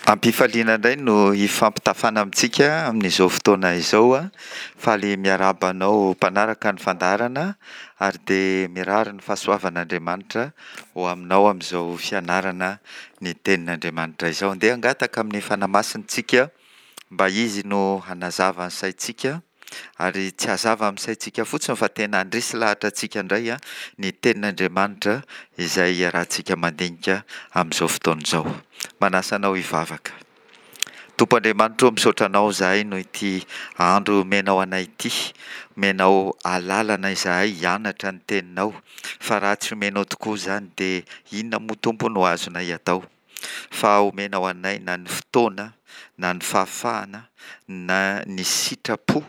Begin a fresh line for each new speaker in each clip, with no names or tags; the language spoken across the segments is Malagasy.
Am-pifaliana indray no hifampitafana amintsika amin'izao fotoana izao. Faly miarahaba anao mpanaraka ny fandaharana ary dia mirary ny fahasoavan'Andriamanitra ho aminao amin'izao fianarana ny tenin'Andriamanitra izao. Andeha hangataka amin'ny Fanahy Masina isika mba Izy no hanazava ny saintsika ary tsy hazava amin'ny saintsika fotsiny fa tena handresy lahatra antsika indray ny tenin'Andriamanitra izay iarahantsika mandinika amin'izao fotoana izao. Manasa anao hivavaka. Tompo Andriamanitra ô, misaotra Anao izahay noho ity andro omenao anay ity. Omenao alalana izahay hianatra ny Teninao, fa raha tsy omenao tokoa izany dia inona moa Tompo no azonay atao? Fa omenao anay na ny fotoana, na ny fahafahana, na ny sitrapo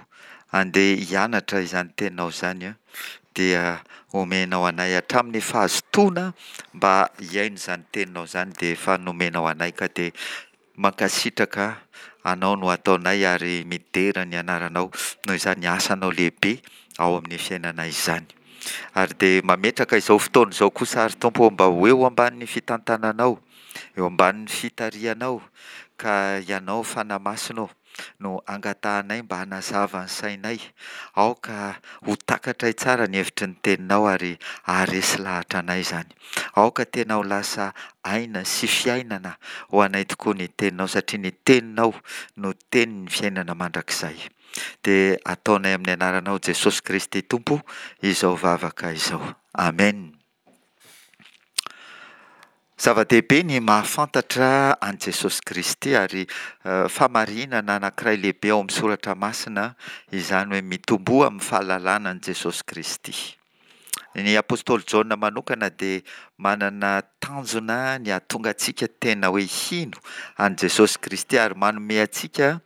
handeha hianatra izany Teninao izany dia omenao anay hatramin'ny fahazotoana mba hihaino izany Teninao izany dia efa nomenao anay ka dia mankasitraka Anao no ataonay ary midera ny Anaranao noho izany asanao lehibe ao amin'ny fiainanay izany. Ary dia mametraka izao fotoana izao kosa ary Tompo ô mba ho eo ambanin'ny fitantananao, eo ambanin'ny fitarihanao ka Ianao Fanahy Masina ô no angatahanay mba hanazava ny sainay. Aoka ho takatray tsara ny hevitry ny Teninao ary haharesy lahatra anay izany. Aoka tena ho lasa aina sy fiainana ho anay tokoa ny Teninao satria ny Teninao no Tenin'ny fiainana mandrakizay. Dia ataonay amin'ny anaranao Jesosy Kristy Tompo izao vavaka izao. Amen. Zava-dehibe ny mahafantatra an'i Jesosy Kristy ary fahamarinana anankiray lehibe ao amin'ny Soratra Masina izany hoe mitomboa amin'ny fahalalana an'i Jesosy Kristy. Ny apostoly Jaona manokana dia manana tanjona ny hahatonga antsika tena hoe hino an'i Jesosy Kristy ary manome antsika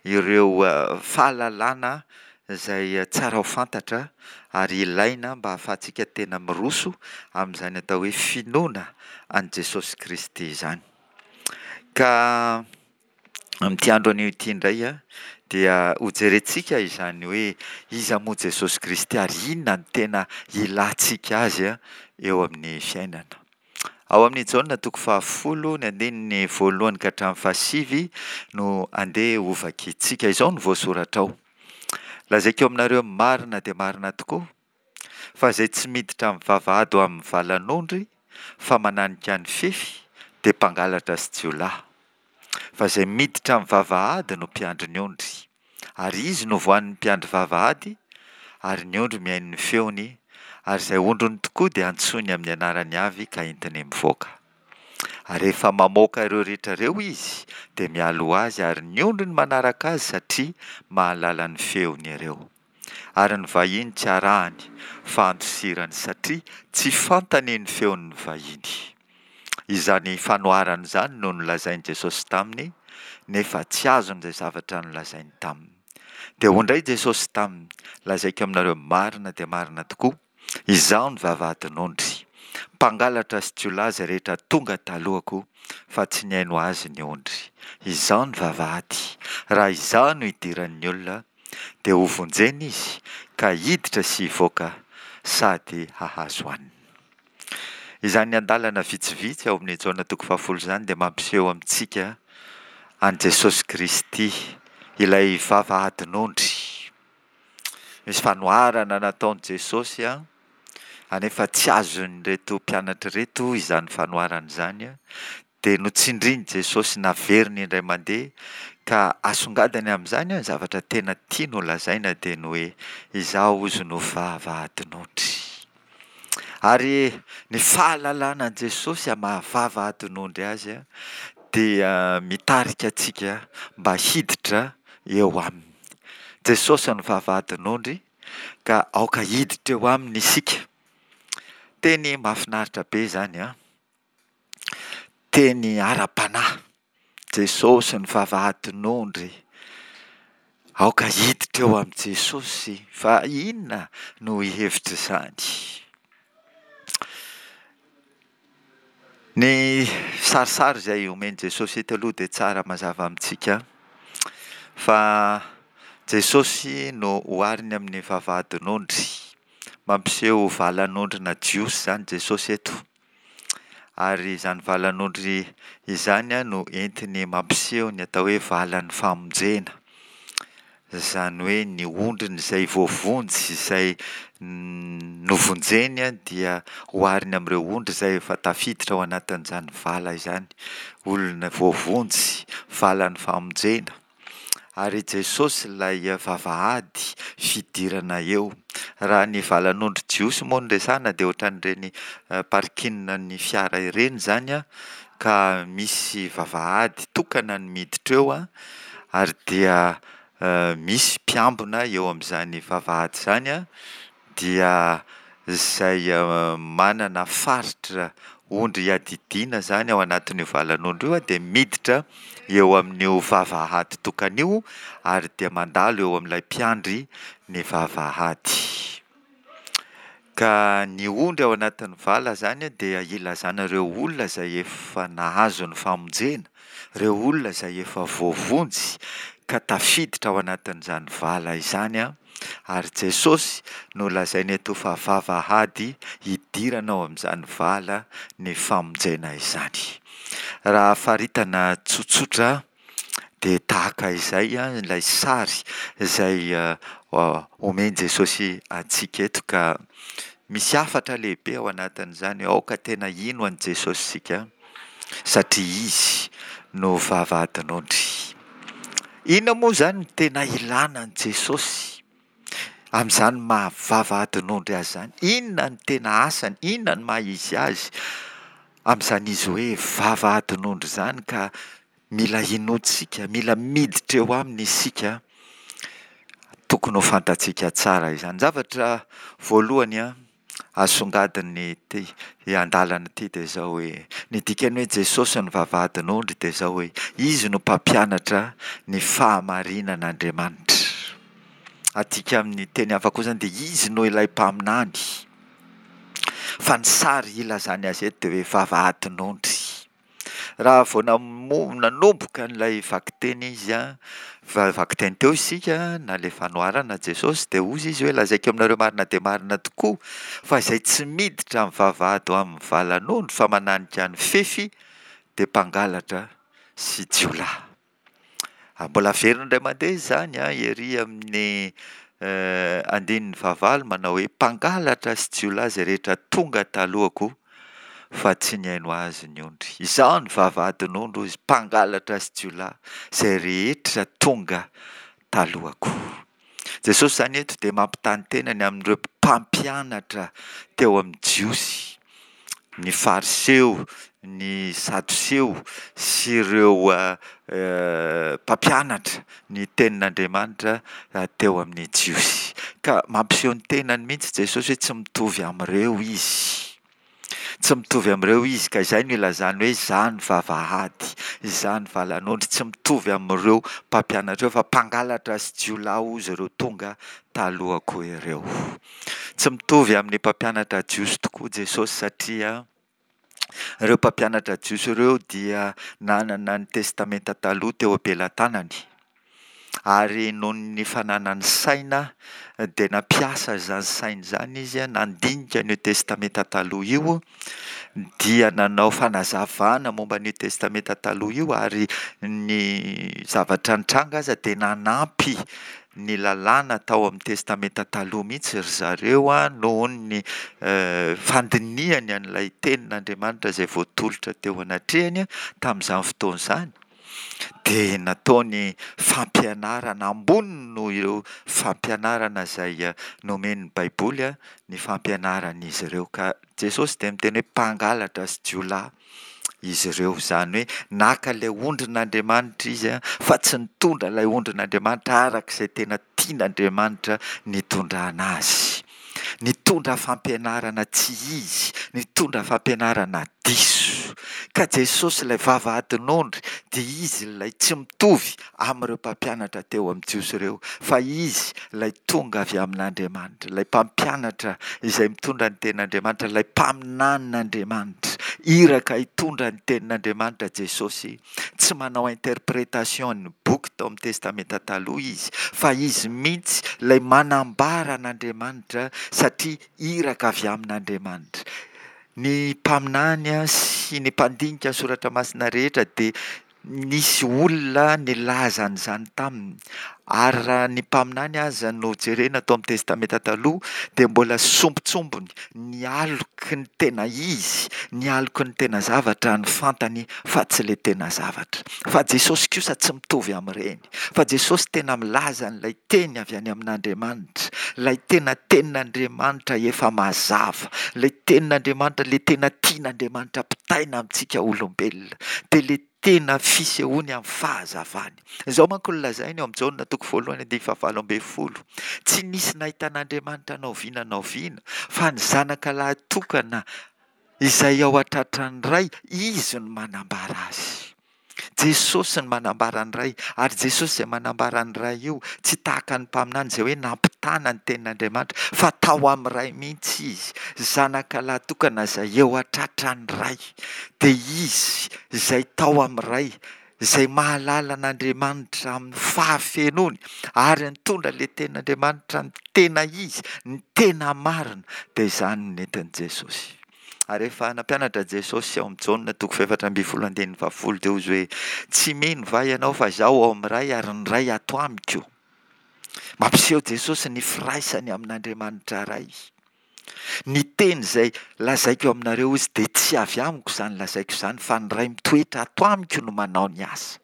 ireo fahalalana izay tsara ho fantatra ary ilaina mba hahafahantsika tena miroso amin'izany atao hoe finoana an'i Jesosy Kristy izany. Ka amin'ity andro anio ity indray dia hojerentsika izany hoe iza moa Jesosy Kristy ary inona no tena ilantsika azy eo amin'ny fiainana. Ao amin'ny Jaona toko fahafolo, ny andininy voalohany ka hatramin'ny fahasivy no andeha hovakintsika. Izao no voasoratra ao, Lazaiko aminareo marina dia marina tokoa, fa izay tsy miditra amin'ny vavahady ho amin'ny valan'ondry, fa mananika ny fefy, dia mpangalatra sy jiolahy. Fa izay miditra amin'ny vavahady no mpiandry ny ondry. Ary izy no voan'ny mpiandry vavahady, ary ny ondry mihaino ny feony, ary izay ondriny tokoa dia antsoiny amin'ny anarany avy ka entiny mivoaka. Ary rehefa mamoaka ireo rehetra ireo izy, dia mialoha azy, ary ny ondriny manaraka azy satria mahalala ny feony ireo. Ary ny vahiny tsy arahany, fa andosirany satria tsy fantany ny feon'ny vahiny. Izany fanoharana izany no nolazain'i Jesosy taminy, nefa tsy azony izay zavatra nolazainy taminy. Dia hoy indray Jesosy taminy, Lazaiko aminareo marina dia marina tokoa, Izaho no vavahadin'ondry. Mpangalatra sy jiolahy izay rehetra tonga talohako, fa tsy nihaino azy ny ondry. Izaho no vavahady. Raha Izaho no idiran'ny olona, dia hovonjena izy, ka hiditra sy hivoaka sady hahazo hanina. Izany andalana vitsivitsy ao amin'ny Jaona toko fahafolo izany dia mampiseho amintsika an'i Jesosy Kristy, ilay vavahadin'ondry. Misy fanoharana nataon'i Jesosy anefa tsy azon'ireto mpianatra ireto izany fanoharana izany dia notsindrin'i Jesosy naveriny indray mandeha ka asongadiny amin'izany ny zavatra tena tiany ho lazaina dia ny hoe izaho hozy no vavahadin'ondry. Ary ny fahalalana an'i Jesosy amin'ny maha vavahadin'ondry azy dia mitarika antsika mba hiditra eo aminy. Jesosy no vavahadin'ondry ka aoka hiditra eo aminy isika. Teny mahafinaritra be izany an! Teny ara-panahy, Jesosy ny vavahadin'ondry, aoka hiditra eo amin'i Jesosy fa inona no hevitr'izany? Ny sarisary izay omen'i Jesosy eto aloha dia tsara mazava amintsika fa Jesosy no ohariny amin'ny vavahadin'ondry, mampiseho valan'ondrina jiosy izany Jesosy eto. Ary izany valan'ondry izany no entiny mampiseho ny atao hoe valan'ny famonjena. Izany hoe ny ondriny izay voavonjy, izay novonjeny dia ohariny amin'ireo ondry izay efa tafiditra ao anatin'izany vala izany. Olona voavonjy, valan'ny famonjena. Ary i Jesosy ilay vavahady fidirana eo. Raha ny valan'ondry jiosy moa no resahana dia ohatran'ireny parking ny fiara ireny izany ka misy vavahady tokana ny miditra eo ary dia misy mpiambina eo amin'izany vavahady izany dia izay manana faritra ondry iadidiana izany ao anatin'io valan'ondry io dia miditra eo amin'io vavahady tokana io ary dia mandalo eo amin'ilay mpiandry ny vavahady. Ka ny ondry ao anatin'ny vala izany dia ilazana ireo olona izay efa nahazo ny famonjena, ireo olona izay efa voavonjy ka tafiditra ao anatin'izany vala izany ary Jesosy no lazainy eto fa vavahady hidirana ao amin'izany vala ny famonjena izany. Raha faritana tsotsotra dia tahaka izay ilay sary izay omen'i Jesosy antsika eto ka misy hafatra lehibe ao anatin'izany hoe aoka tena hino an'i Jesosy isika satria Izy no vavahadin'ondry. Inona moa izany no tena ilana an'i Jesosy amin'izany maha vavahadin'ondry azy izany? Inona no tena asany? Inona no maha izy azy amin'izany izy hoe vavahadin'ondry izany ka Mila inoantsika, mila miditra eo aminy isika, tokony ho fantatsika tsara izany. Zavatra voalohany asongadin'ity andalana ity dia izao hoe, ny dikan'ny hoe Jesosy no vavahadin'ondry dia izao hoe, Izy no mpampianatra ny fahamarinan'Andriamanitra. Adika amin'ny teny hafa koa izany dia Izy no ilay mpaminany. Fa ny sary ilazany azy eto dia hoe vavahadin'ondry. Raha vao nanomboka an'ilay vakiteny izy, vakiteny teo isika, na ilay fanoharana Jesosy, dia hozy izy hoe lazaiko aminareo marina dia marina tokoa fa izay tsy miditra amin'ny vavahady ho amin'ny valan'ondry fa mananika ny fefy dia mpangalatra sy jiolahy. Mbola averina indray mandeha izany ery amin'ny andininy fahavalo manao hoe mpangalatra sy jiolahy izay rehetra tonga talohako fa tsy nihaino azy ny ondry. Izaho ny vavahadin'ondry hoy izy, mpangalatra sy jiolahy izay rehetra tonga talohako. Jesosy izany eto dia mampitaha ny tenany amin'ireo mpampianatra teo amin'ny Jiosy, ny Fariseo, ny Sadoseo sy ireo mpampianatra ny tenin'Andriamanitra teo amin'ny Jiosy. Ka mampiseho ny tenany mihitsy Jesosy hoe tsy mitovy amin'ireo izy. Tsy mitovy amin'ireo izy, ka izay no ilazany hoe izaho ny vavahady, izaho ny valan'ondry, tsy mitovy amin'ireo mpampianatra ireo fa mpangalatra sy jiolahy hozy ireo tonga talohako ireo. Tsy mitovy amin'ny mpampianatra jiosy tokoa Jesosy satria ireo mpampianatra jiosy ireo dia nanana ny testamenta taloha teo am-pelatanany. Ary noho ny fananany saina dia nampiasa izany sainy izany izy nandinika an'io Testamenta Taloha io, dia nanao fanazavana momba an'io Testamenta Taloha io ary ny zavatra nitranga aza dia nanampy ny lalàna tao amin'ny Testamenta Taloha mihitsy ry zareo noho ny fandinihany an'ilay tenin'Andriamanitra izay voatolotra teo anatrehany tamin'izany fotoana izany. dia nataony fampianarana ambony noho ireo fampianarana izay nomen'ny Baiboly ny fampianaran'izy ireo. Ka Jesosy dia miteny hoe mpangalatra sy jiolahy izy ireo. Izany hoe naka ilay ondrin'Andriamanitra izy fa tsy nitondra ilay ondrin'Andriamanitra araka izay tena tian'Andriamanitra nitondrana azy. Nitondra fampianarana tsy izy, nitondra fampianarana diso. Ka Jesosy ilay vavahadin'ondry dia Izy ilay tsy mitovy amin'ireo mpampianatra teo amin'ny Jiosy ireo, fa Izy ilay tonga avy amin'Andriamanitra, ilay mpampianatra izay mitondra ny tenin'Andriamanitra, ilay mpaminanin'Andriamanitra. Iraka hitondra ny tenin'Andriamanitra Jesosy. Tsy manao interprétation ny boky tao amin'ny Testamenta Taloha izy, fa izy mihitsy ilay manambara an'Andriamanitra satria iraka avy amin'Andriamanitra. Ny mpaminany sy. sy ny mpandinika ny soratra masina rehetra dia nisy olona nilaza an'izany taminy. Ary raha ny mpaminany aza no jerena tao amin'ny Testamenta Taloha dia mbola sombintsombiny ny aloky ny tena izy, ny aloky ny tena zavatra no fantany fa tsy ilay tena zavatra. Fa Jesosy kosa tsy mitovy amin'ireny. Fa Jesosy tena milaza an'ilay teny avy any amin'Andriamanitra, ilay tena tenin'Andriamanitra efa mazava, ilay tenin'Andriamanitra, ilay tena tian'Andriamanitra ampitaina amintsika olombelona, dia ilay tena fisehoany amin'ny fahazavany. Izao manko no lazainy ao amin'ny Jaona toko voalohany andininy fahavalo ambin'ny folo, Tsy nisy nahita an'Andriamanitra na oviana na oviana, fa ny Zanaka lahy tokana izay ao an-tratran'ny Ray, Izy no manambara azy. Jesosy no manambara ny Ray, ary Jesosy izay manambara ny Ray io, tsy tahaka ny mpaminany izay hoe nampitana ny tenin'Andriamanitra, fa tao amin'ny Ray mihitsy Izy, Zanaka lahy tokana izay eo an-tratran'ny Ray, dia Izy izay tao amin'ny Ray, izay mahalala an'Andriamanitra amin'ny fahafenoany, ary nitondra ilay tenin'Andriamanitra ny tena Izy, ny tena marina, dia izany no nentin'i Jesosy. Ary rehefa nampianatra Jesosy ao amin'ny Jaona toko fahefatra ambin'ny folo andininy fahafolo dia hoy Izy hoe, Tsy mino va ianao fa Izaho ao amin'ny Ray ary ny Ray ato amiko? Mampiseho Jesosy ny firaisany amin'Andriamanitra Ray. Ny teny izay lazaiko aminareo hoy Izy dia tsy avy amiko izany lazaiko izany fa ny Ray mitoetra ato amiko no manao ny asa.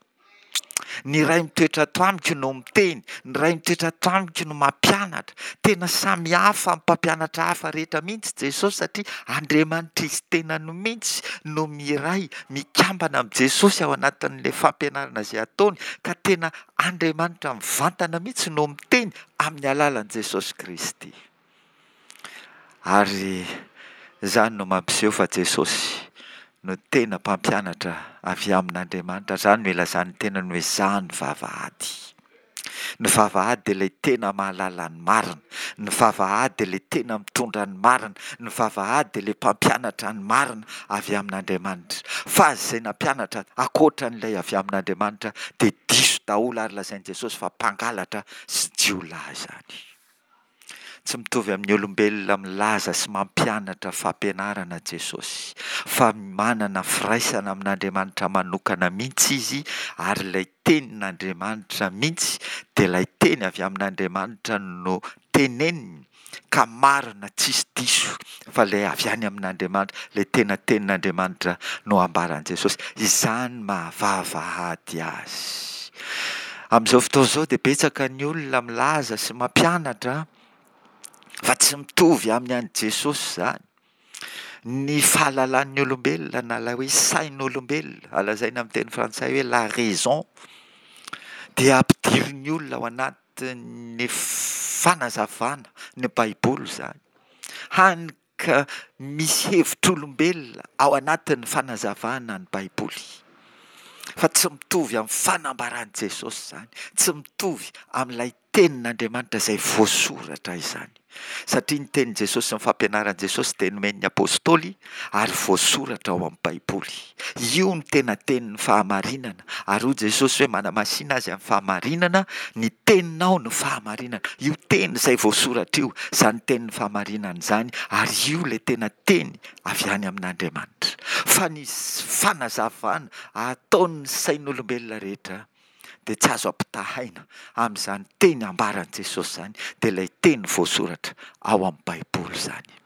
Ny Ray mitoetra ato amiko no miteny, ny Ray mitoetra ato amiko no mampianatra. Tena samy hafa amin'ny mpampianatra hafa rehetra mihitsy Jesosy satria Andriamanitra Izy tenany mihitsy no miray, mikambana amin'i Jesosy ao anatin'ilay fampianarana izay ataony ka tena Andriamanitra mivantana mihitsy no miteny amin'ny alalan'i Jesosy Kristy. Ary izany no mampiseho fa Jesosy no tena mpampianatra avy amin'Andriamanitra. Izany no ilazan'ny tenany hoe izaho ny vavahady. Ny vavahady dia ilay tena mahalala ny marina. Ny vavahady dia ilay tena mitondra ny marina. Ny vavahady dia ilay mpampianatra ny marina avy amin'Andriamanitra. Fa izay nampianatra ankoatra an'ilay avy amin'Andriamanitra dia diso daholo ary lazain'i Jesosy fa mpangalatra sy jiolahy izany. Tsy mitovy amin'ny olombelona milaza sy mampianatra fampianarana Jesosy, fa manana firaisana amin'Andriamanitra manokana mihitsy Izy, ary ilay Tenin'Andriamanitra mihitsy dia ilay Teny avy amin'Andriamanitra no teneniny, ka marina tsisy diso fa ilay avy any amin'Andriamanitra, ilay tena Tenin'Andriamanitra no ambaran'i Jesosy. Izany maha-vavahady Azy. Amin'izao fotoana izao dia betsaka ny olona milaza sy mampianatra fa tsy mitovy amin'ny an'i Jesosy izany. Ny fahalalan'ny olombelona na ilay hoe sain'olombelona, lazaina amin'ny teny frantsay hoe la raison, dia ampidirin'ny olona ao anatin'ny fanazavana ny Baiboly izany. Hany ka misy hevitr'olombelona ao anatin'ny fanazavana ny Baiboly, fa tsy mitovy amin'ny fanambaran'i Jesosy izany, tsy mitovy amin'ilay Tenin'Andriamanitra izay voasoratra izany, satria ny tenin'i Jesosy sy ny fampianaran'i Jesosy dia nomen'ny Apostoly ary voasoratra ao amin'ny Baiboly. Io no tena tenin'ny fahamarinana, ary hoy Jesosy hoe manamasina azy amin'ny fahamarinana, ny teninao no fahamarinana. Io teny izay voasoratra io, izany tenin'ny fahamarinana izany, ary io ilay tena teny avy any amin'Andriamanitra. Fa ny fanazavana ataon'ny sain'olombelona rehetra dia tsy azo ampitahaina amin'izany teny ambaran'i Jesosy izany, dia ilay teny voasoratra ao amin'ny Baiboly izany.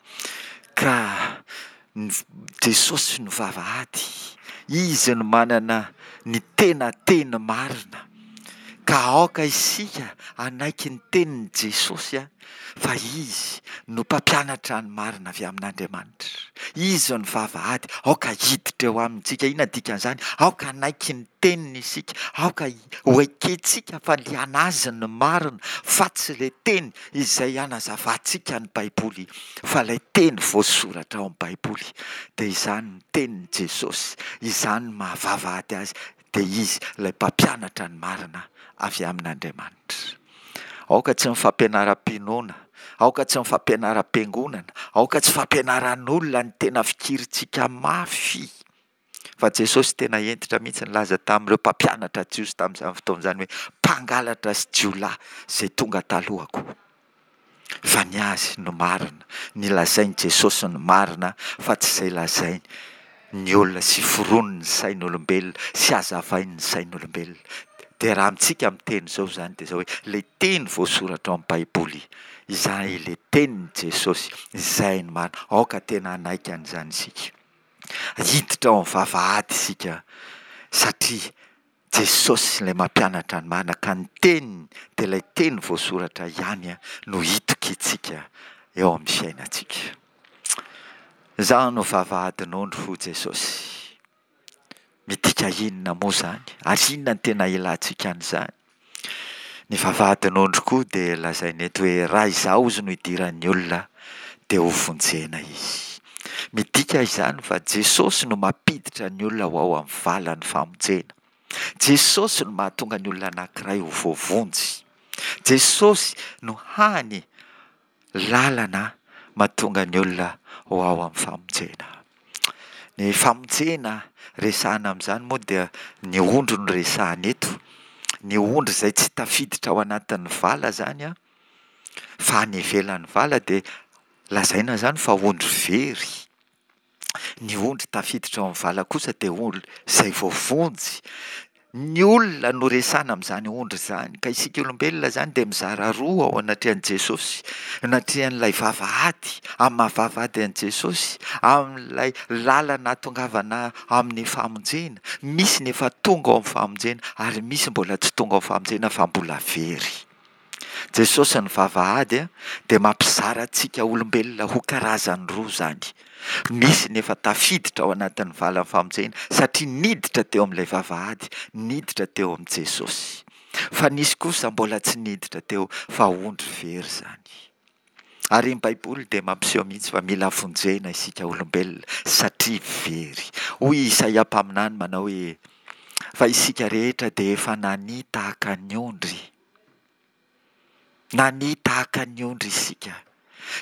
Ka ny Jesosy no vavahady, Izy no manana ny tena teny marina. Ka aoka isika hanaiky ny tenin'i Jesosy fa Izy no mpampianatra ny marina avy amin'Andriamanitra. Izy no vavahady, aoka hiditra eo aminy isika. Inona ny dikan'izany? Aoka hanaiky ny teniny isika, aoka ho ekentsika fa ny an'Azy no marina fa tsy ilay teny izay hanazavantsika ny Baiboly fa ilay teny voasoratra ao amin'ny Baiboly dia izany ny tenin'i Jesosy, izany no maha vavahady azy dia Izy ilay mpampianatra ny marina avy amin'Andriamanitra. Aoka tsy ny fampianaram-pinoana, aoka tsy ny fampianaram-piangonana, aoka tsy fampianaran'olona ny tena fikirintsika mafy. Fa Jesosy tena hentitra mihitsy nilaza tamin'ireo mpampianatra jiosy tamin'izany fotoana izany hoe mpangalatra sy jiolahy izay tonga talohako. Fa ny azy no marina, ny lazain'i Jesosy no marina fa tsy izay lazainy. ny olona sy foronin'ny sain'olombelona sy hazavain'ny sain'olombelona. Dia raha amintsika miteny izao izany dia izao hoe ilay teny voasoratra ao amin'ny Baiboly, izay ilay tenin'i Jesosy, izay no marina. Aoka tena hanaiky an'izany isika. Hiditra ao amin'ny vavahady isika satria Jesosy ilay mampianatra ny marina ka ny teniny dia ilay teny voasoratra ihany no hitokiantsika eo amin'ny fiainantsika. Izaho no vavahadin'ondry hoy Jesosy. Midika inona moa izany? Ary inona no tena ilantsika an'izany? Ny vavahadin'ondry koa dia lazaina eto hoe raha izaho ozy no idiran'ny olona dia ho vonjena izy. Midika izany fa Jesosy no mampiditra ny olona ho ao amin'ny valan'ny famonjena. Jesosy no mahatonga ny olona anankiray ho voavonjy. Jesosy no hany lalana mahatonga ny olona ho ao amin'ny famonjena. Ny famonjena resahana amin'izany moa dia ny ondry no resahana eto. Ny ondry izay tsy tafiditra ao anatin'ny vala izany an, fa any ivelan'ny vala dia lazaina izany fa ondry very. Ny ondry tafiditra ao amin'ny vala kosa dia ondry izay voavonjy. Ny olona no resahana amin'izany ondry izany, ka isika olombelona izany dia mizara roa ao anatrehan'i Jesosy, anatrehan'ilay vavahady, amin'ny maha vavahady an'i Jesosy, amin'ilay lalana ahatongavana amin'ny famonjena. Misy ny efa tonga ao amin'ny famonjena ary misy mbola tsy tonga ao amin'ny famonjena fa mbola very. Jesosy ny vavahady dia mampizara antsika olombelona ho karazany roa izany. Misy ny efa tafiditra ao anatin'ny valan'ny famonjena satria niditra teo amin'ilay vavahady, niditra teo amin'i Jesosy. Fa nisy kosa mbola tsy niditra teo fa ondry very izany. Ary ny Baiboly dia mampiseho mihitsy fa mila vonjena isika olombelona satria very. Hoy i Isaia mpaminany manao hoe, Fa isika rehetra dia efa nania tahaka ny ondry. Nania tahaka ny ondry isika.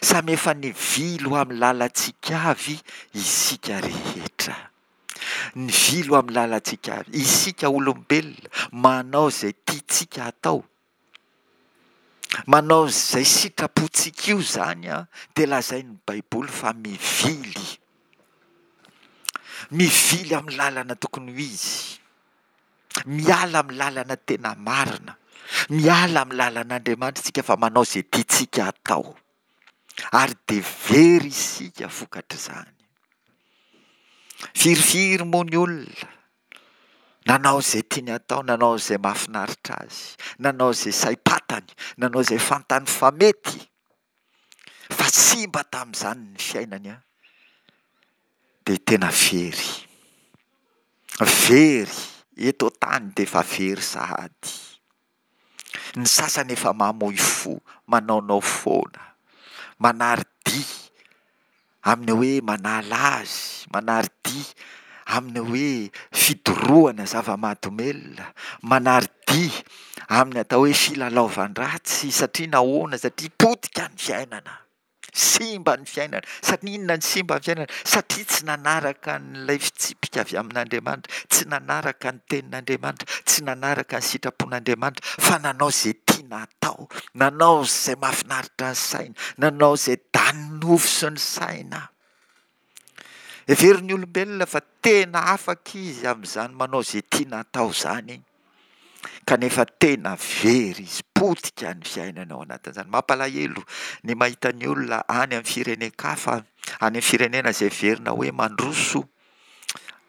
Samy efa nivily ho amin'ny lalantsika avy isika rehetra. Nivily ho amin'ny lalantsika avy. Isika olombelona manao izay tiantsika hatao. Manao izay sitrapontsika io izany dia lazain'ny Baiboly fa mivily. Mivily amin'ny lalana tokony ho izy. Miala amin'ny lalana tena marina. Miala amin'ny lalan'Andriamanitra isika fa manao izay tiantsika hatao. Ary dia very isika vokatr'izany. Firifiry moa ny olona nanao izay tiany hatao, nanao izay mahafinaritra azy, nanao izay saim-patany, nanao izay fantany fa mety. Fa simba tamin'izany ny fiainany an, dia tena very. Very eto an-tany dia efa very sahady. Ny sasany efa mamoy fo, manaonao foana, manary dia amin'ny hoe manala azy, manary dia amin'ny hoe fidorohana zava-mahadomelina, manary dia amin'ny atao hoe filalaovan-dratsy satria nahoana? Satria potika ny fiainana, simba ny fiainana. Satria inona no simba ny fiainana? Satria tsy nanaraka an'ilay fitsipika avy amin'Andriamanitra, tsy nanaraka ny tenin'Andriamanitra, tsy nanaraka ny sitrapon'Andriamanitra fa nanao izay tiana hatao, nanao izay mahafinaritra ny saina, nanao izay danin'ny nofo sy ny saina. Heverin'ny olombelona fa tena afaka izy amin'izany manao izay tiana atao izany, kanefa tena very izy, potika ny fiainana ao anatin'izany. Mampalahelo ny mahita ny olona any amin'ny firenen-kafa, any amin'ny firenena izay heverina hoe mandroso,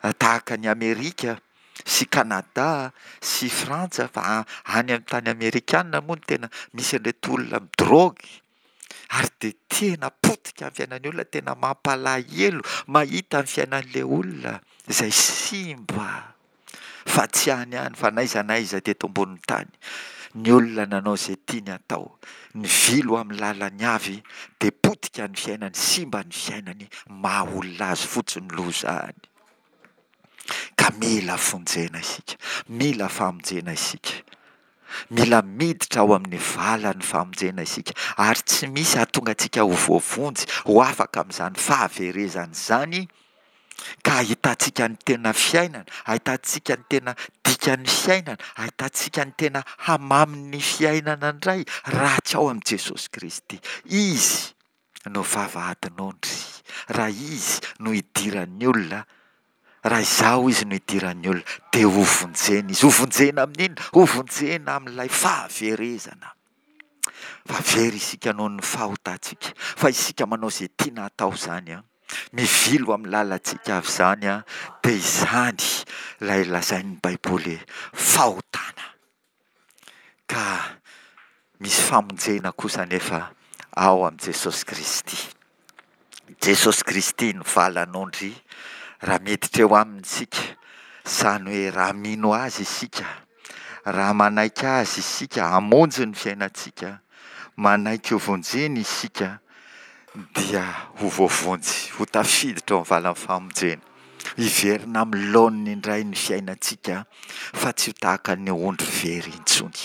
tahaka an'i Amerika sy Kanada sy Frantsa, fa any amin'ny tany amerikana moa no tena misy an'ireto olona midrogy. Ary dia tena potika ny fiainan'ny olona, tena mampalahelo mahita ny fiainan'ilay olona izay simba fa tsy any ihany fa n'aiza n'aiza teto ambonin'ny tany. Ny olona nanao izay tiany hatao, nivily ho amin'ny lalany avy dia potika ny fiainany, simba ny fiainany, maha olona azy fotsiny loza any. Ka mila fonjena isika, mila famonjena isika. Mila miditra ao amin'ny valan'ny famonjena isika, ary tsy misy hahatonga antsika ho voavonjy, ho afaka amin'izany fahaverezana izany, ka hahitantsika ny tena fiainana, hahitantsika ny tena dikan'ny fiainana, hahitantsika ny tena hamamin'ny fiainana indray, raha tsy ao amin'i Jesosy Kristy. Izy no vavahadin'ondry, raha Izy no idiran'ny olona. Raha izaho izy no idiran'ny olona, dia hovonjena izy. Hovonjena amin'inona? Hovonjena amin'ilay fahaverezana. Fa very isika noho ny fahotantsika. Fa isika manao izay tiana hatao izany an. Mivily ho amin'ny lalantsika avy izany an, dia izany ilay lazain'ny Baiboly hoe fahotana. Ka misy famonjena kosa anefa ao amin'i Jesosy Kristy. Jesosy Kristy no valan'ondry raha miditra eo aminy isika, izany hoe raha mino Azy isika, raha manaiky Azy isika hamonjy ny fiainantsika, manaiky ho vonjeny isika dia ho voavonjy, ho tafiditra ao amin'ny valan'ny famonjena. Hiverina amin'ny laoniny indray ny fiainantsika fa tsy ho tahaka ny ondry very intsony.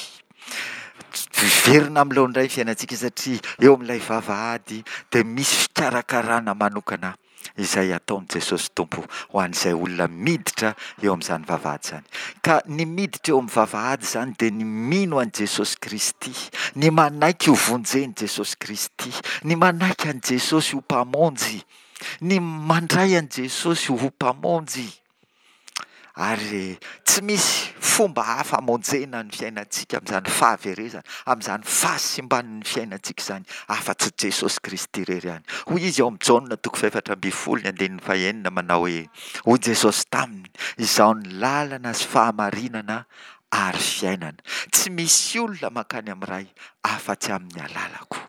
Hiverina amin'ny laoniny indray ny fiainantsika satria eo amin'ilay vavahady dia misy fikarakarana manokana izay ataon'i Jesosy Tompo ho an'izay olona miditra eo amin'izany vavahady izany. Ka ny miditra eo amin'ny vavahady izany dia ny mino an'i Jesosy Kristy, ny manaiky ho vonjen'i Jesosy Kristy, ny manaiky an'i Jesosy ho Mpamonjy. Ny mandray an'i Jesosy ho Mpamonjy. Ary tsy misy fomba hafa hamonjena ny fiainantsika amin'izany fahaverezana, amin'izany fahasimban'ny fiainantsika izany, afa-tsy Jesosy Kristy irery ihany. Hoy Izy ao amin'ny Jaona toko fahefatra ambin'ny folo ny andininy fahenina manao hoe, Hoy Jesosy taminy, Izaho ny lalana sy fahamarinana ary fiainana. Tsy misy olona mankany amin'ny Ray afa-tsy amin'ny alalako.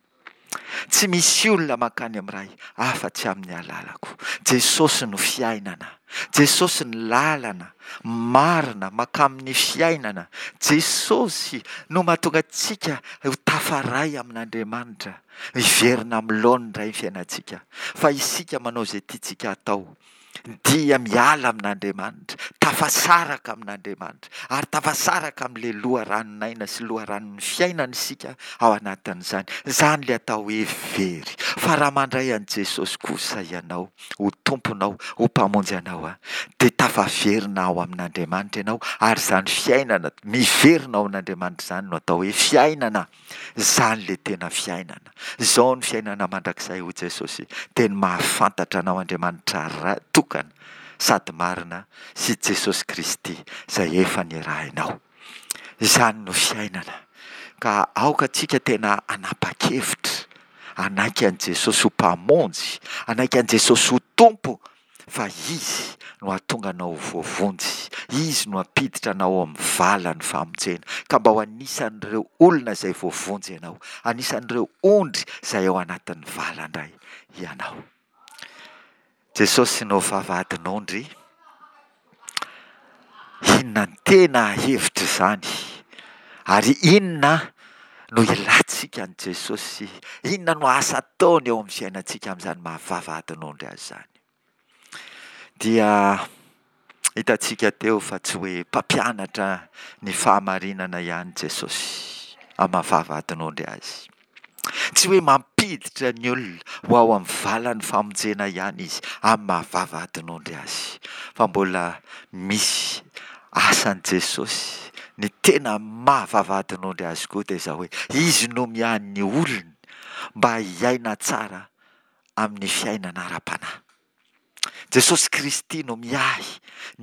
Tsy misy olona mankany amin'ny Ray afa-tsy amin'ny alalako. Jesosy no fiainana. Jesosy ny lalana marina mankamin'ny fiainana. Jesosy no mahatonga antsika ho tafaray amin'Andriamanitra. Miverina amin'ny laoniny indray ny fiainantsika. Fa isika manao izay tiantsika hatao. dia miala amin'Andriamanitra, tafasaraka amin'Andriamanitra, ary tafasaraka amin'ilay loharanon'aina sy loharanon'ny fiainana isika ao anatin'izany. Izany ilay atao hoe very. Fa raha mandray an'i Jesosy kosa ianao ho Tomponao, ho Mpamonjy anao, dia tafaverina ao amin'Andriamanitra ianao, ary izany fiainana miverina ao amin'Andriamanitra izany no atao hoe fiainana. Izany ilay tena fiainana. Izao ny fiainana mandrakizay hoy Jesosy, dia ny mahafantatra Anao Andriamanitra Ray tokana sady marina sy Jesosy Kristy izay efa nirahinao. Izany no fiainana. Ka aoka antsika tena hanapa-kevitra hanaiky an'i Jesosy ho Mpamonjy, hanaiky an'i Jesosy ho Tompo fa Izy no hahatonga anao ho voavonjy, Izy no hampiditra anao ao amin'ny valan'ny famonjena, ka mba ho anisan'ireo olona izay voavonjy ianao, anisan'ireo ondry izay ao anatin'ny vala indray ianao. Jesosy no vavahadin'ondry. Inona no tena hevitr'izany? Ary inona no ilantsika an'i Jesosy? Inona no asa ataony eo amin'ny fiainantsika amin'izany maha vavahadin'ondry azy izany? Dia hitantsika teo fa tsy hoe mpampianatra ny fahamarinana ihany Jesosy amin'ny maha vavahadin'ondry azy. Tsy hoe mampiditra ny olona ho ao amin'ny valan'ny famonjena ihany izy amin'ny maha vavahadin'ondry azy, fa mbola misy asan'i Jesosy. Ny tena maha vavahadin'ondry azy koa dia izao hoe izy no miahy ny olony mba hiaina tsara amin'ny fiainana ara-panahy. Jesosy Kristy no miahy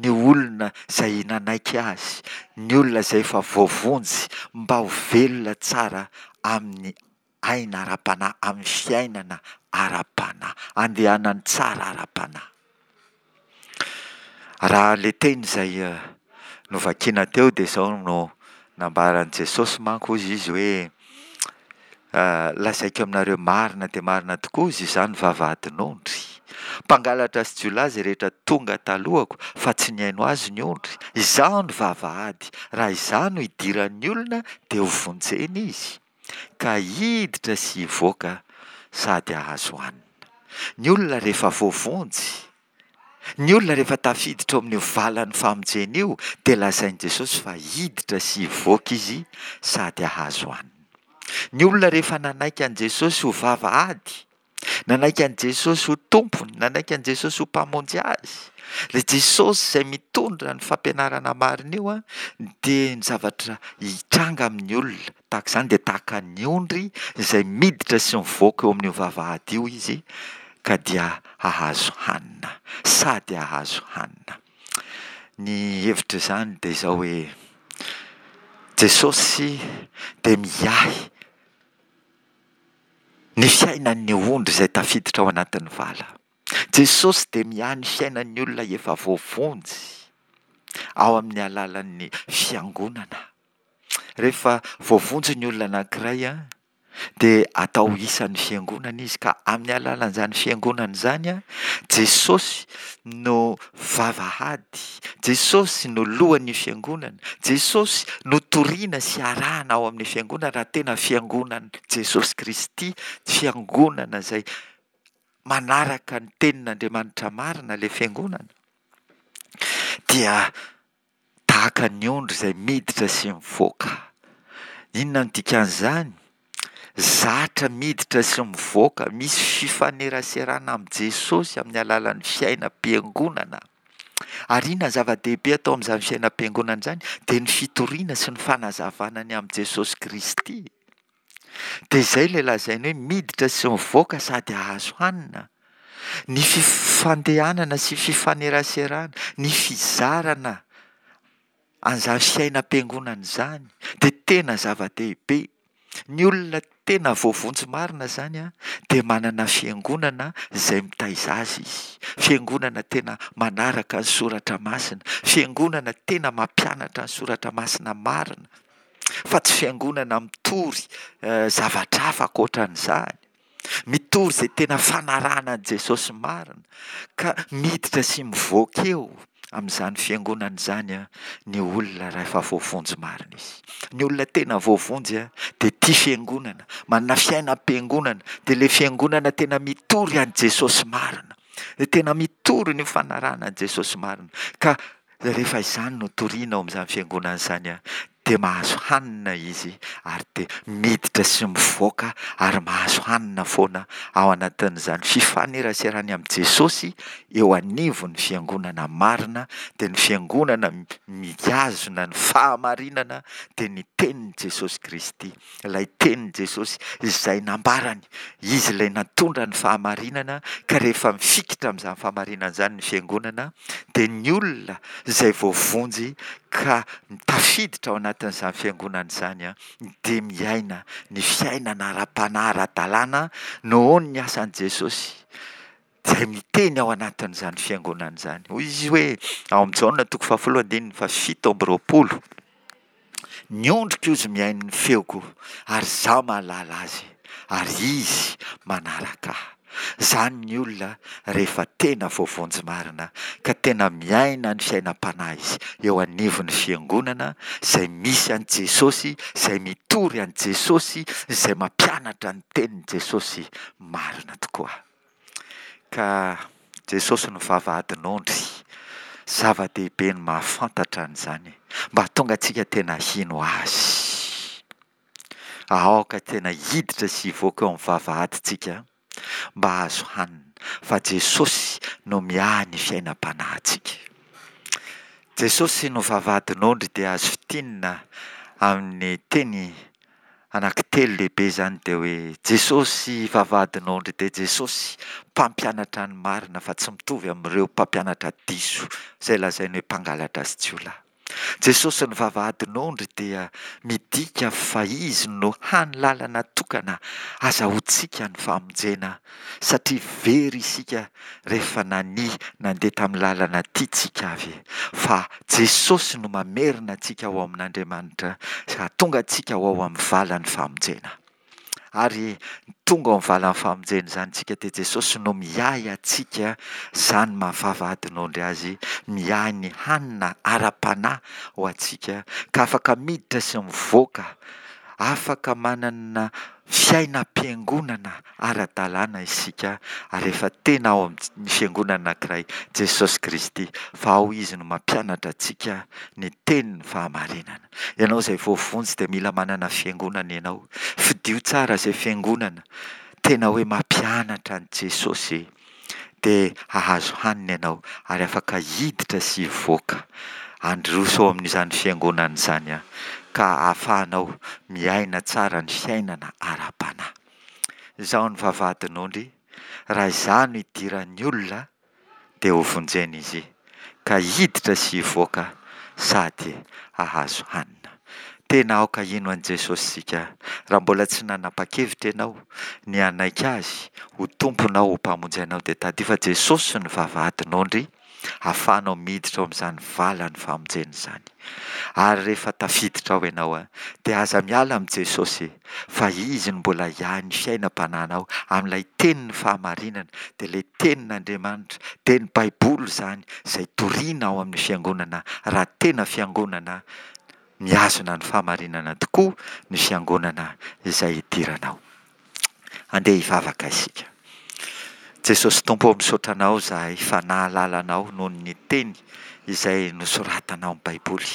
ny olona izay nanaiky Azy, ny olona izay efa voavonjy mba ho velona tsara amin'ny aina ara-panahy, amin'ny fiainana ara-panahy, andehanany tsara ara-panahy. Raha ilay teny izay novakiana teo dia izao no nambaran'i Jesosy manko hozy izy hoe Lazaiko aminareo marina dia marina tokoa hozy izany vavahadin'ondry. Mpangalatra sy jiolahy izay rehetra tonga talohako fa tsy nihaino azy ny ondry. Izaho no vavahady, raha izaho no idiran'ny olona dia ho vonjena izy, ka hiditra sy hivoaka sady hahazo hanina. Ny olona rehefa voavonjy Ny olona rehefa tafiditra ao amin'io valan'ny famonjena io dia lazain'i Jesosy fa hiditra sy hivoaka izy sady hahazo hanina. Ny olona rehefa nanaiky an'i Jesosy ho vavahady, nanaiky an'i Jesosy ho Tompony, nanaiky an'i Jesosy ho Mpamonjy azy, ilay Jesosy izay mitondra ny fampianarana marina io dia ny zavatra hitranga amin'ny olona tahaka izany dia tahaka ny ondry izay miditra sy mivoaka eo amin'io vavahady io izy ka dia hahazo hanina, sady hahazo hanina. Ny hevitr'izany dia izao hoe, Jesosy dia miahy ny fiainan'ny ondry izay tafiditra ao anatin'ny vala. Jesosy dia miahy ny fiainan'ny olona efa voavonjy ao amin'ny alalan'ny fiangonana. Rehefa voavonjy ny olona anankiray dia atao isan'ny fiangonana izy ka amin'ny alalan'izany fiangonana izany Jesosy no vavahady, Jesosy no lohan'ny fiangonana, Jesosy no toriana sy arahana ao amin'ny fiangonana raha tena fiangonan'i Jesosy Kristy, fiangonana izay manaraka ny tenin'Andriamanitra marina ilay fiangonana dia tahaka ny ondry izay miditra sy mivoaka. Inona no dikan'izany? Zatra miditra sy mivoaka, misy fifaneraserana amin'i Jesosy amin'ny alalan'ny fiainam-piangonana. Ary inona ny zava-dehibe atao amin'izany fiainam-piangonana izany? Dia ny fitoriana sy ny fanazavana ny amin'i Jesosy Kristy. Dia izay ilay lazainy hoe miditra sy mivoaka sady hahazo hanina. Ny fifandehanana sy fifaneraserana, ny fizarana an'izany fiainam-piangonana izany dia tena zava-dehibe. Ny olona tena voavonjy marina izany dia manana fiangonana izay mitaiza azy izy. Fiangonana tena manaraka ny soratra masina, fiangonana tena mampianatra ny soratra masina marina, fa tsy fiangonana mitory zavatra hafa ankoatran'izany. Mitory izay tena fanarahana an'i Jesosy marina ka miditra sy mivoaka eo amin'izany fiangonana izany ny olona rahefa voavonjy marina izy. Ny olona tena voavonjy dia tia fiangonana, manana fiainam-piangonana, dia ilay fiangonana tena mitory an'i Jesosy marina, dia tena mitory ny fanarahana an'i Jesosy marina ka Rehefa izany no torina ao amin'izany fiangonana izany dia mahazo hanina izy ary dia miditra sy mivoaka ary mahazo hanina foana ao anatin'izany fifaneraserany amin'i Jesosy eo anivon'ny fiangonana marina dia ny fiangonana mihazona ny fahamarinana dia ny tenin'i Jesosy Kristy. Ilay tenin'i Jesosy izay nambarany, Izy ilay nantondra ny fahamarinana, ka rehefa mifikitra amin'izany fahamarinana izany ny fiangonana, dia ny olona izay voavonjy ka tafiditra ao anatin'izany fiangonana izany dia miaina ny fiainana ara-panahy ara-dalàna noho ny asan'i Jesosy izay miteny ao anatin'izany fiangonana izany. Hoy izy hoe ao amin'i Jaona toko fahafolo andininy fahafito amby roapolo, Ny ondriko izy mihaino ny feoko ary izaho mahalala azy ary izy manaraka ahy. Izany ny olona rehefa tena voavonjy marina ka tena miaina ny fiainam-panahy izy eo anivon'ny fiangonana izay misy an'i Jesosy, izay mitory an'i Jesosy, izay mampianatra ny tenin'i Jesosy marina tokoa. Ka Jesosy no vavahadin'ondry. Zava-dehibe ny mahafantatra an'izany mba hahatonga antsika tena hino Azy. Aoka tena hiditra sy hivoaka eo amin'ny vavahadintsika mba hahazo hanina, fa Jesosy no miahy ny fiainam-panahintsika. Jesosy no vavahadin'ondry dia azo fintinina amin'ny teny Anankitelo lehibe izany dia hoe Jesosy vavahadin'ondry dia Jesosy mpampianatra ny marina fa tsy mitovy amin'ireo mpampianatra diso izay lazainy hoe mpangalatra sy jiolahy. Jesosy ny vavahadin'ondry dia midika fa Izy no hany lalana tokana azahoantsika ny famonjena satria very isika rehefa nania nandeha tamin'ny lalana tiantsika avy fa Jesosy no mamerina antsika ho ao amin'Andriamanitra sy hahatonga antsika ho ao amin'ny valan'ny famonjena. Ary tonga ao amin'ny valan'ny famonjena izany isika dia Jesosy no miahy antsika, izany maha vavahadin'ondry azy, miahy ny hanina ara-panahy ho antsika ka afaka miditra sy mivoaka, afaka manana fiainam-piangonana ara-dalàna isika ary efa tena ao amin'ny Fiangonana anankiray, Jesosy Kristy, fa ao Izy no mampianatra antsika ny tenin'ny fahamarinana. Ianao izay voavonjy dia mila manana Fiangonana ianao. Fidio tsara izay Fiangonana tena hoe mampianatra an'i Jesosy dia hahazo hanina ianao ary afaka hiditra sy hivoaka handroso ao amin'izany Fiangonana izany ka ahafahanao miaina tsara ny fiainana ara-panahy. Izaho no vavahadin'ondry, raha izaho no idiran'ny olona dia hovonjena izy. ka hiditra sy hivoaka sady hahazo hanina. Tena aoka hino an'i Jesosy isika. Raha mbola tsy nanapa-kevitra ianao ny hanaiky Azy ho Tomponao, ho Mpamonjy anao dia tadidio fa Jesosy no vavahadin'ondry ahafahanao miditra ao amin'izany valan'ny famonjena izany. Ary rehefa tafiditra ao ianao dia aza miala amin'i Jesosy fa Izy no mbola hiahy ny fiainam-panahinao amin'ilay tenin'ny fahamarinana, dia ilay tenin'Andriamanitra, dia ny Baiboly izany izay toriana ao amin'ny fiangonana raha tena fiangonana mihazona ny fahamarinana tokoa ny fiangonana izay idiranao. Andeha hivavaka isika. Jesosy Tompo ô misaotra Anao izahay fa nahalala Anao noho ny teny izay nosoratana ao amin'ny Baiboly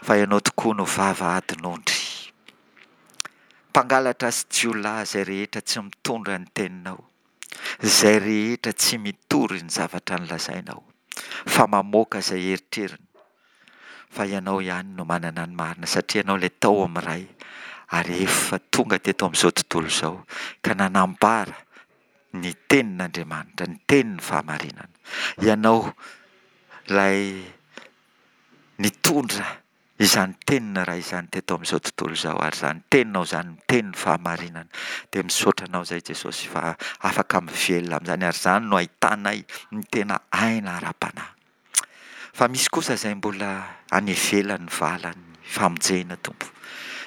fa Ianao tokoa no vavahadin'ondry. Mpangalatra sy jiolahy izay rehetra tsy mitondra ny teninao, izay rehetra tsy mitory ny zavatra nolazainao fa mamoaka izay eritreriny fa Ianao ihany no manana ny marina satria Ianao ilay tao amin'ny Ray ary efa tonga teto amin'izao tontolo izao ka nanambara ny tenin'Andriamanitra, ny tenin'ny fahamarinana. Ianao ilay nitondra izany tenin'ny Ray izany teto amin'izao tontolo izao ary izany teninao izany no tenin'ny fahamarinana. Dia misaotra Anao izay Jesosy fa afaka mivelona amin'izany ary izany no ahitanay ny tena aina ara-panahy. Fa misy kosa izay mbola any ivelan'ny valan'ny famonjena, Tompo.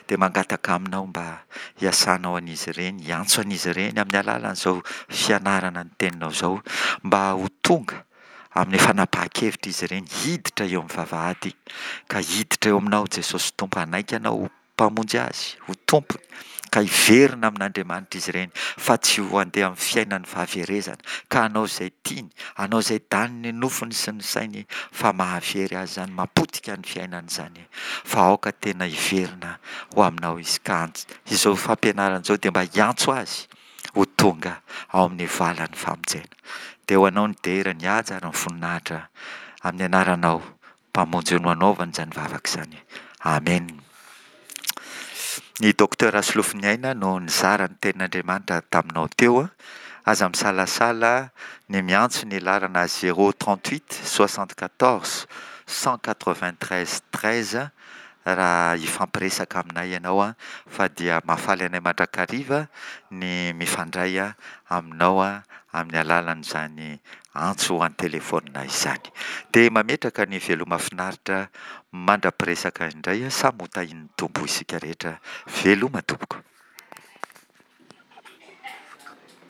Dia mangataka Aminao mba hiasanao an'izy ireny, hiantso an'izy ireny amin'ny alalan'izao fianarana ny Teninao izao, mba ho tonga amin'ny fanapahan-kevitra izy ireny hiditra eo amin'ny vavahady, ka hiditra eo Aminao Jesosy Tompo, hanaiky Anao ho Mpamonjy azy, ho Tompony, ka hiverina amin'Andriamanitra izy ireny, fa tsy ho handeha amin'ny fiainan'ny fahaverezana, ka hanao izay tiany, hanao izay danin'ny nofony sy ny sainy, fa mahavery azy izany, mapotika ny fiainany izany, fa aoka tena hiverina ho aminao izy, ka izao fampianarana izao dia mba hiantso azy ho tonga ao amin'ny valan'ny famonjena. Dia ho anao ny dera, ny haja ary ny voninahitra, amin'ny anaranao Mpamonjy no anaovany izany vavaka izany. Amen. Ny Docteur Rasolofoniaina no nizara ny tenin'Andriamanitra taminao teo. Aza misalasala ny miantso ny laharana 038 74 193 13 raha hifampiresaka aminay ianao fa dia mahafaly anay mandrakariva ny mifandray aminao amin'ny alalan'izany antso an-telefaonina izany. Dia mametraka ny veloma finaritra mandra-piresaka indray, samy ho tahian'ny Tompo isika rehetra. Veloma tompoko.